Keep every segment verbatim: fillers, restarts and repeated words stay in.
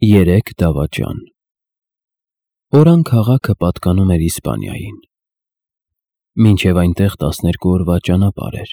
Երեք դավաճան։ Օրան քաղաքը պատկանում էր Իսպանիային։ Մինչև այնտեղ տասներկու օրվա ճանապարհ էր,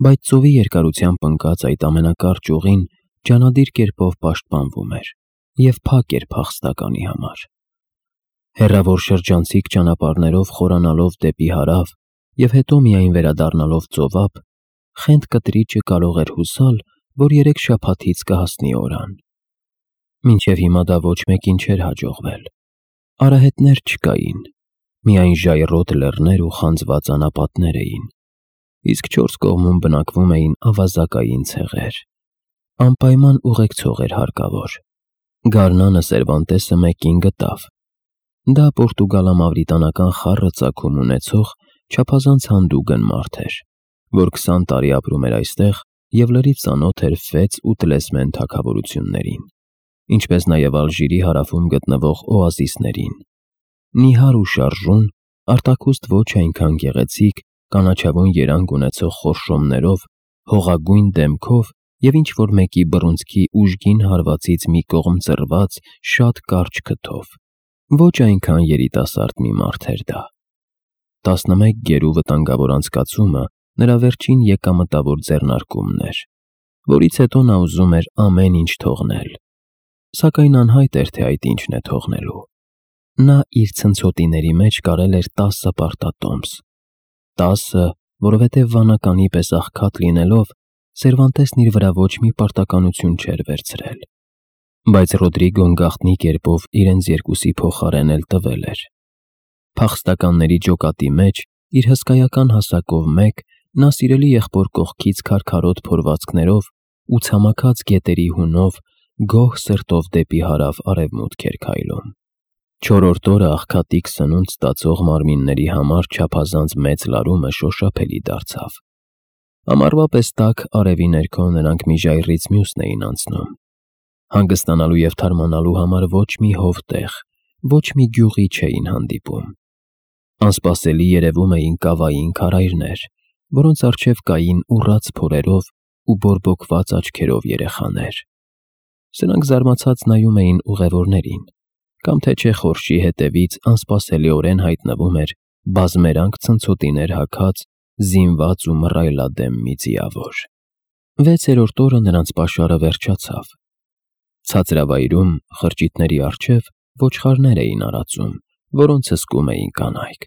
բայց ծովի երկարությամբ ընկած այդ ամենակարճ ուղին ջանադիր կերպով պաշտպանվում էր և փակ էր փախստականի համար։ Հեռավոր շրջանցիկ ճանապարհներով խորանալով դեպի հարավ և հետո միայն վերադառնալով ծովափ, խենթ կտրիճը կարող էր հուսալ, որ երեք շաբաթից կհասնի օրան։ Մինչև հիմա դա ոչ մեկին չէր հաջողվել։ Արահետներ չկային, միայն ժայռոտ լեռներ ու խանձված անապատներ էին, իսկ չորս կողմում բնակվում էին ավազակային ցեղեր։ Անպայման ուղեկցող էր հարկավոր։ Գարնանը Սերվանտեսը մեկին գտավ։ Դա պորտուգալա-մավրիտանական խառը ծագում ունեցող չափազանց հանդուգն մարդ էր, որ քսան տարի ապրում էր այստեղ և լրիվ ծանոթ էր Ֆեց ու Տնեսմեն թագավորություններին, ինչպես նաև Ալժիրի հարավում գտնվող օազիսներին։ Նիհար ու շարժուն, արտաքուստ ոչ այնքան գեղեցիկ, կանաչավուն երանգ ունեցող խորշոմներով, հողագույն դեմքով և ինչ-որ մեկի բռունցքի ուժգին հարվածից մի կողմ ծռված շատ կարճ քթով։ Ոչ այնքան երիտասարդ մի մարդ էր դա։ տասնմեկ գերու վտանգավոր անցկացումը նրա վերջին եկամտավոր ձեռնարկումն էր, որից հետո նա ուզում էր ամեն ինչ թողնել, սակայն անհայտ էր, թե այդ ինչն է թողնելու։ Նա իր ցնցոտիների մեջ կարել էր տասը պարտատոմս։ Տասը, որովհետև վանականի պես աղքատ լինելով, Սերվանտեսն իր վրա ոչ մի պարտականություն չէր վերցրել, բայց Ռոդրիգոն գաղտնի կերպով իրենց երկուսի փոխարեն էլ տվել էր։ Փախստականների ջոկատի մեջ, իր հսկայական հասակով մեկ, նա սիրելի եղբոր կողքից քարքարոտ փորվածքներով ու ցամաքած գետերի հունով գոհ սրտով դեպի հարավ-արևմուտք էր քայլում։ Չորրորդ օրը աղքատիկ սնունդ ստացող մարմինների համար չափազանց մեծ լարումը շոշափելի դարձավ։ Ամառվա պես տաք արևի ներքո նրանք մի ժայռից մյուսն էին անցնում։ Հանգստանալու և թարմանալու համար ոչ մի հովտեղ, ոչ մի գյուղի չէին հանդիպում։ Անսպասելի երևում էին կավային քարայրներ, որոնց առջև կային ուռած փորերով ու բորբոքված աչքերով երեխաներ։ Սրանք զարմացած նայում էին ուղևորներին, կամ թե չէ խորշի հետևից անսպասելիորեն հայտնվում էր բազմերանգ ցնցոտիներ հագած, զինված ու մռայլադեմ մի ձիավոր։ Վեցերորդ օրը նրանց պաշարը վերջացավ։ Ցածրավայրում, խրճիթների առջև, ոչխարներ էին արածում, որոնց հսկում էին կանայք։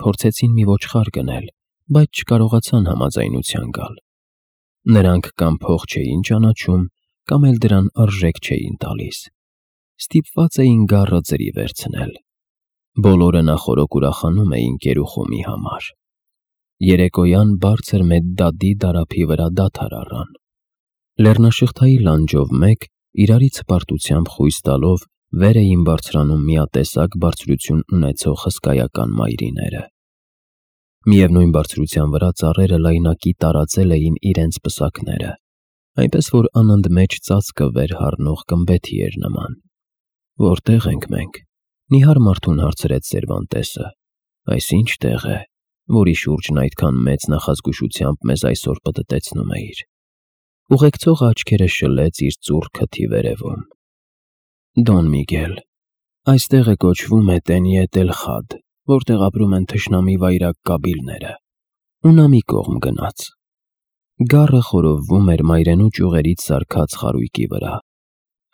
Փորձեցին մի ոչխար գնել, բայց չկարողացան համաձայնության գալ։ Նրանք կամ փող չէին ճանաչում, կամ էլ դրան արժեք չէին տալիս։ Ստիպված էին գառը ձրի վերցնել։ Բոլորը նախօրոք ուրախանում էին կերուխումի համար։ Երեկոյան բարձր մեծ դադի դարափի վրա դադար առան։ Լեռնաշղթայի լանջով մեկ, իրարից հպարտությամբ խույս տալով, վեր էին բարձրանում միատեսակ բարձրություն ունեցող հսկայական մայրիները։ Միևնույն բարձրության վրա ծառերը լայնակի տարածել էին իրենց պսակները, այնպես որ անընդմեջ ծածկը վեր հառնող գմբեթի էր նման։ Որտե՞ղ ենք մենք, նիհար մարդուն հարցրեց Սերվանտեսը։ Այս ինչ տեղ է, որի շուրջն այդքան մեծ նախազգուշությամբ մեզ այսօր պտտեցնում էիր։ Ուղեկցողը աչքերը շլեց իր ծուռ քթի վերևում։ Դոն Միգել, այստեղը կոչվում է Տենիե դել Խադ, որտեղ ապրում են թշնամի վայրագ կաբիլները։ Ու նա մի կողմ գնաց։ Գառը խորովվում էր մայրենու ճյուղերից սարքած խարույկի վրա։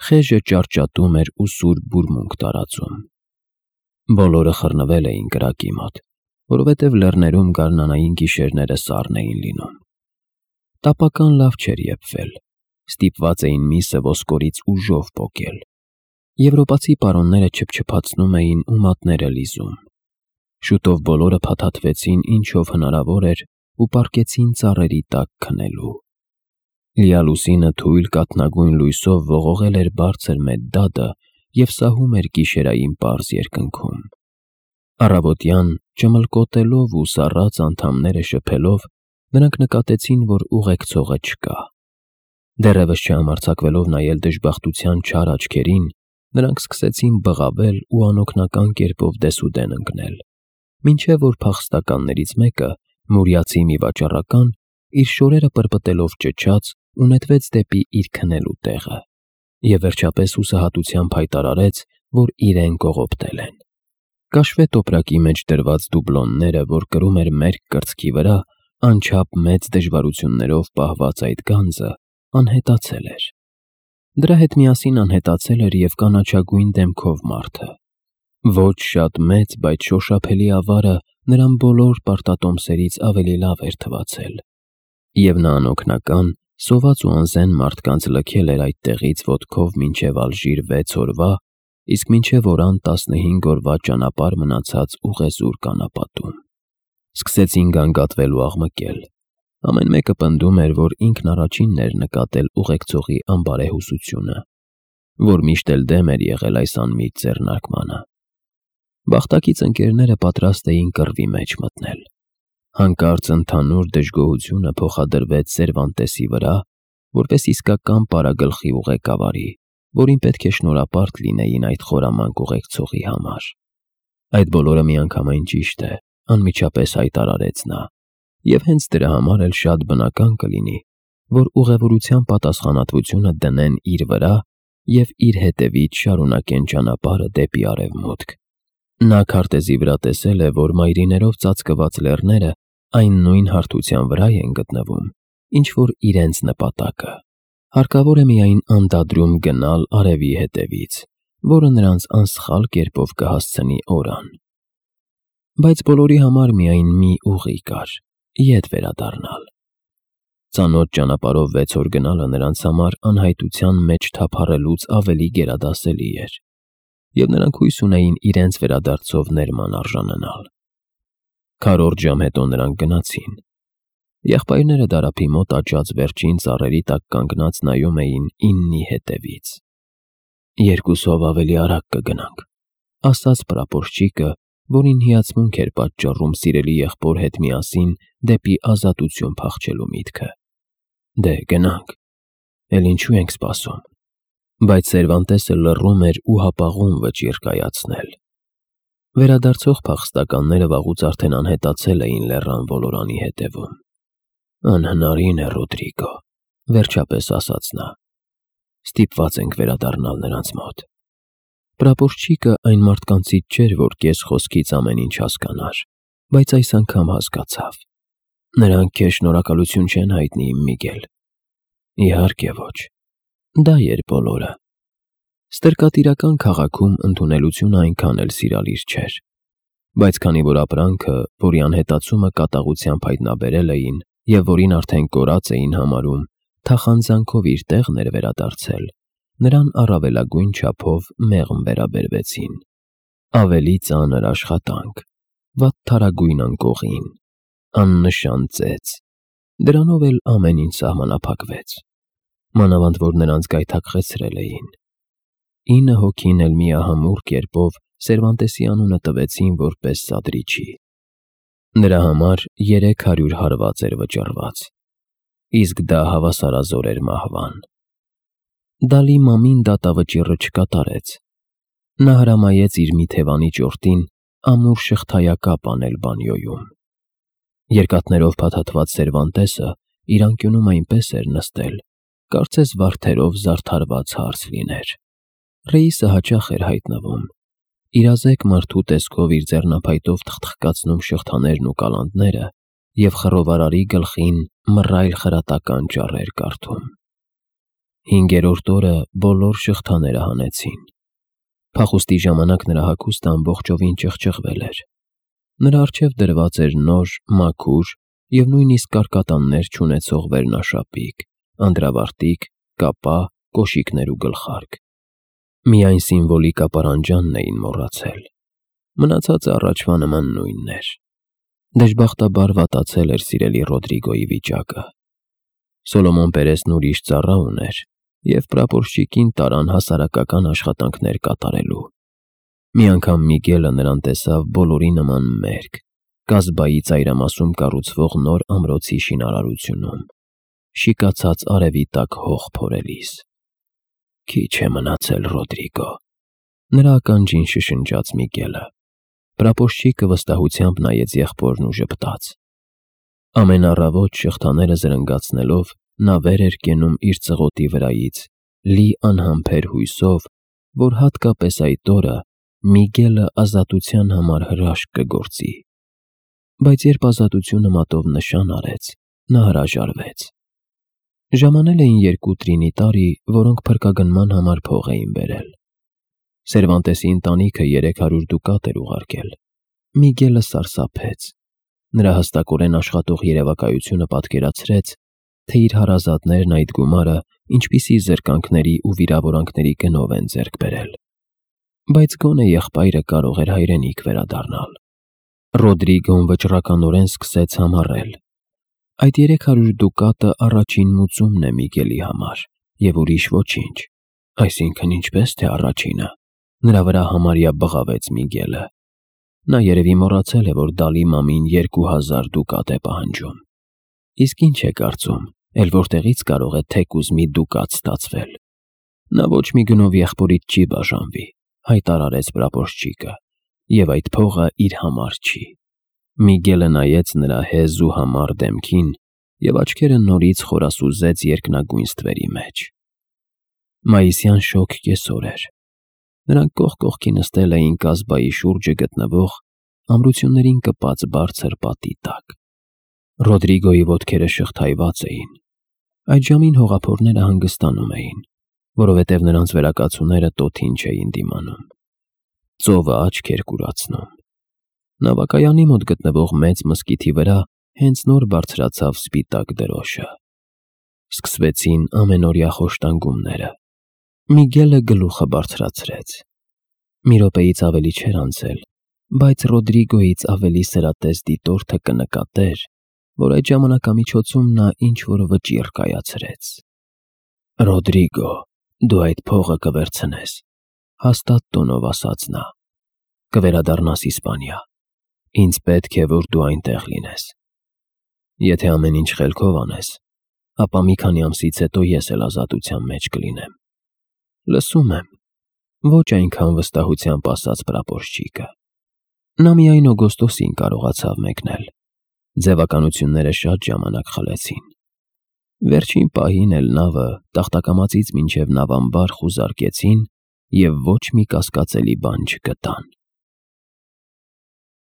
Խեժը ճարճատում էր ու սուր բուրմունք տարածում։ Բոլորը խռնվել էին կրակի մոտ, որովհետև լեռներում գարնանային գիշերները սառն էին լինում։ Տապական լավ չէր եփվել, ստիպված էին միսը ոսկորից ուժով պոկել։ Եվրոպացի պարոնները չփչփացնում էին ու մատները լիզում։ Շուտով բոլորը փաթաթվեցին ինչով հնարավոր էր ու պառկեցին ծառերի տակ քնելու։ Լիալուսինը թույլ կաթնագույն լույսով ողողել էր բարձր մեծ դադը և սահում էր գիշերային պարզ երկնքում։ Առավոտյան, ճմլկոտելով ու սառած անդամները շփելով, նրանք նկատեցին, որ ուղեկցողը չկա։ Դեռևս չհամարձակվելով նայել դժբախտության չար աչքերին, նրանք սկսեցին բղավել ու անօգնական կերպով դեսուդեն ընկնել, մինչև որ փախստականներից մեկը, մուրյացի մի վաճառական, իր շորերը պրպտելով ճչաց ու նետվեց դեպի իր քնելու տեղը։ և վերջապես հուսահատությամբ հայտարարեց, որ իրեն կողոպտել են։ Կաշվե տոպրակի մեջ դրված դուբլոնները, որ կրում էր մերկ կրծքի վրա, անչափ մեծ դժվարություններով պահված այդ գանձը, անհետացել էր։ Դրա հետ միասին անհետացել էր և կանաչագույն դեմքով մարդը։ Ոչ շատ մեծ, բայց շոշափելի ավարը նրան բոլոր պարտատոմսերից ավելի լավ էր թվացել, և նա անօգնական, սոված ու անզեն մարդկանց լքել էր այդ տեղից ոտքով մինչև Ալժիր վեց օրվա, իսկ մինչև Օրան տասնհինգ օրվա ճանապարհ մնացած ուղեզուր կանապատում։ Սկսեցին գանգատվել ու աղմկել։ Ամեն մեկը պնդում էր, որ ինքն առաջինն էր նկատել ուղեկցողի անբարեհուսությունը, որ միշտ էլ դեմ էր եղել այս անմիտ ձեռնարկմանը։ Բախտակից ընկերները պատրաստ էին կռվի մեջ մտնել։ Հանկարծ ընդհանուր դժգոհությունը փոխադրվեց Սերվանտեսի վրա, որպես իսկական պարագլխի ու ղեկավարի, որին պետք է շնորհապարտ լինեին այդ խորամանկ ուղեկցողի համար։ Այդ բոլորը միանգամայն ճիշտ է, անմիջապես հայտարարեց նա, և հենց դրա համար էլ շատ բնական կլինի, որ ուղևորության պատասխանատվությունը դնեն իր վրա և իր հետևից շարունակեն ճանապարհը դեպի արևմուտք։ Նա քարտեզի վրա տեսել է, որ մայրիներով ծածկված լեռները այն նույն հարթության վրա են գտնվում, ինչ որ իրենց նպատակը։ Հարկավոր է միայն անդադրում գնալ արևի հետևից, որը նրանց անսխալ կերպով կհասցնի Օրան։ Բայց բոլորի համար միայն մի ուղի կար՝ ետ վերադառնալ։ Ծանոթ ճանապարհով վեց օր գնալը նրանց համար անհայտության մեջ թափառելուց ավելի գերադասելի էր, և նրանք հույս ունեին իրենց վերադարձով ներման արժանանալ։ Քառորդ ժամ հետո նրանք գնացին։ Եղբայրները դարափի մոտ աճած վերջին ծառերի տակ կանգնած նայում էին իննի հետևից։ «Երկուսով ավելի արագ կգնանք», ասաց պրապորչիկը, որին հիացմունք էր պատճառում սիրելի եղբոր հետ միասին դեպի ազատություն փախչելու միտքը։ «Դե, գնանք, էլ ինչու ենք սպասում»։ Բայց Սերվանտեսը լռում էր ու հապաղում վճիռ կայացնել։ Վերադարձող փախստականները վաղուց արդեն անհետացել էին լեռան ոլորանի հետևում։ «Անհնարին է, Ռոդրիգո», վերջապես ասաց նա։ «Ստիպված ենք վերադառնալ նրանց մոտ»։ Պրապորչիկը այն մարդկանցից չէր, որ կես խոսքից ամեն ինչ հասկանար, բայց այս անգամ հասկացավ։ «Նրանք քեզ շնորհակալություն չեն հայտնի, իմ Միգել»։ «Իհարկե ոչ, դա էր բոլորը»։ Ստրկատիրական քաղաքում ընդունելությունը այնքան էլ սիրալիր չէր, բայց քանի որ ապրանքը, որի անհետացումը կատաղությամբ հայտնաբերել էին և որին արդեն կորած էին համարում, թախանձանքով իր տեղն էր վերադարձել, նրան առավելագույն չափով մեղմ վերաբերվեցին։ Ավելի ծանր աշխատանք, վատթարագույն անկողին, աննշան ծեծ, դրանով էլ ամեն ինչ սահմանափակվեց, մանավանդ որ նրանց գայթակղեցրել էին։ Ինը հոգին էլ միահամուռ կերպով Սերվանտեսի անունը տվեցին որպես սադրիչի։ Նրա համար երեք հարյուր հարված էր վճռված, իսկ դա հավասարազոր էր մահվան։ Դալի մամին դատավճիռը չկատարեց։ Նա հրամայեց իր մի թևանի ճորտին ամուր շղթայակապ անել բանյոյում։ Երկաթներով փաթաթված Սերվանտեսը իր անկյունում այնպես էր նստել, կարծես վարդերով զարդարված հարց լիներ։ Ռեիսը հաճախ էր հայտնվում, իրազեկ մարդու տեսքով իր ձեռնափայտով թխթխկացնում շղթաներն ու կալանտները և խռովարարի գլխին մռայլ խրատական ճառեր կարդում։ Հինգերորդ օրը բոլոր շղթաները հանեցին։ Փախուստի ժամանակ նրա հագուստը ամբողջովին ճղճղվել էր։ Նրա առջև դրված էր նոր, մաքուր և նույնիսկ կարկատաններ չունեցող վերնաշապիկ, անդրավարտիք, կապա, կոշիկներ ու գլխարկ։ Միայն սիմվոլիկ ապարանջանն էին մոռացել։ Մնացածը առաջվա նման նույնն էր։ Դժբախտաբար վատացել էր սիրելի Ռոդրիգոյի վիճակը։ Սոլոմոն Պերեսն ուրիշ ծառա ուներ, և պրապորչիկին տարան հասարակական աշխատանքներ կատարելու։ Մի անգամ Միգելը նրան տեսավ բոլորի նման մերկ, կազբայի ծայրամասում կառուցվող նոր ամրոցի շինարարությունում, շիկացած արևի տակ հող փորելիս։ «Քիչ է մնացել, Ռոդրիգո», նրա ականջին շշնջաց Միգելը։ Պրապորչիկը վստահությամբ նայեց եղբորն ու ժպտաց։ Ամեն առավոտ շղթաները զրնգացնելով նա վեր էր կենում իր ծղոտի վրայից լի անհամբեր հույսով, որ հատկապես այդ օրը Միգելը ազատության համար հրաշք կգործի։ Բայց երբ ազատությունը մատով նշան արեց, նա հրաժարվեց։ Ժամանել էին երկու տրինիտարի, որոնք փրկագնման համար փող էին բերել։ Սերվանտեսի ընտանիքը երեք հարյուր դուկատ էր ուղարկել։ Միգելը սարսափեց։ Նրա հստակորեն աշխատող երևակայությունը պատկերացրեց, թե իր հարազատներն այդ գումարը ինչպիսի զրկանքների ու վիրավորանքների գնով են ձեռք բերել։ Բայց գոնե եղբայրը կարող էր հայրենիք վերադառնալ։ Ռոդրիգոն վճռականորեն սկսեց համառել. այդ երեք հարյուր դուկատը առաջին մուծումն է Միգելի համար, և ուրիշ ոչինչ, այսինքն ինչպես թե առաջինը։ Նրա վրա համարյա բղավեց Միգելը։ Նա երևի մոռացել է, որ Դալի մամին երկու հազար դուկատ է պահանջում։ Իսկ ինչ է կարծում, էլ որտեղից կարող է թեկուզ մի դուկատ ստացվել։ Նա ոչ մի գնով եղբորից չի բաժանվի, հայտարարեց պրապորշչիկը, և այդ փողը իր համար չի։ Միգելը նայեց նրա հեզ ու համառ դեմքին և աչքերը նորից խորասուզեց երկնագույն ստվերի մեջ։ Մայիսյան շոգ կեսօր էր։ Նրանք կողք կողքի նստել էին կազբայի շուրջը գտնվող ամրություններին կպած բարձր պատի տակ։ Ռոդրիգոյի ոտքերը շղթայված էին։ Այդ ժամին հողափորները հանգստանում էին, որովհետև նրանց վերակացուները տոթին չէին դիմանում։ Ծովը աչք էր կուրացնում։ Նավակայանի մոտ գտնվող մեծ մզկիթի վրա հենց նոր բարձրացավ սպիտակ դրոշը։ Սկսվեցին ամենօրյա խոշտանգումները։ Միգելը գլուխը բարձրացրեց։ Մի րոպեից ավելի չէր անցել, բայց Ռոդրիգոյից ավելի սրատես դիտորդը կնկատեր, որ այդ ժամանակամիջոցում նա ինչ-որ վճիռ կայացրեց։ «Ռոդրիգո, դու այդ փողը կվերցնես», հաստատ տոնով ասաց նա։ «Կվերադառնաս Իսպանիա։ Ինձ պետք է, որ դու այնտեղ լինես։ Եթե ամեն ինչ խելքով անես, ապա մի քանի ամսից հետո ես էլ ազատության մեջ կլինեմ»։ «Լսում եմ», ոչ այնքան վստահությամբ ասաց պրապորշչիկը։ Նա միայն օգոստոսին կարողացավ մեկնել։ Ձևականությունները շատ ժամանակ խլեցին։ Վերջին պահին էլ նավը տախտակամածից մինչև նավամբար խուզարկեցին և ոչ մի կասկածելի բան չգտան։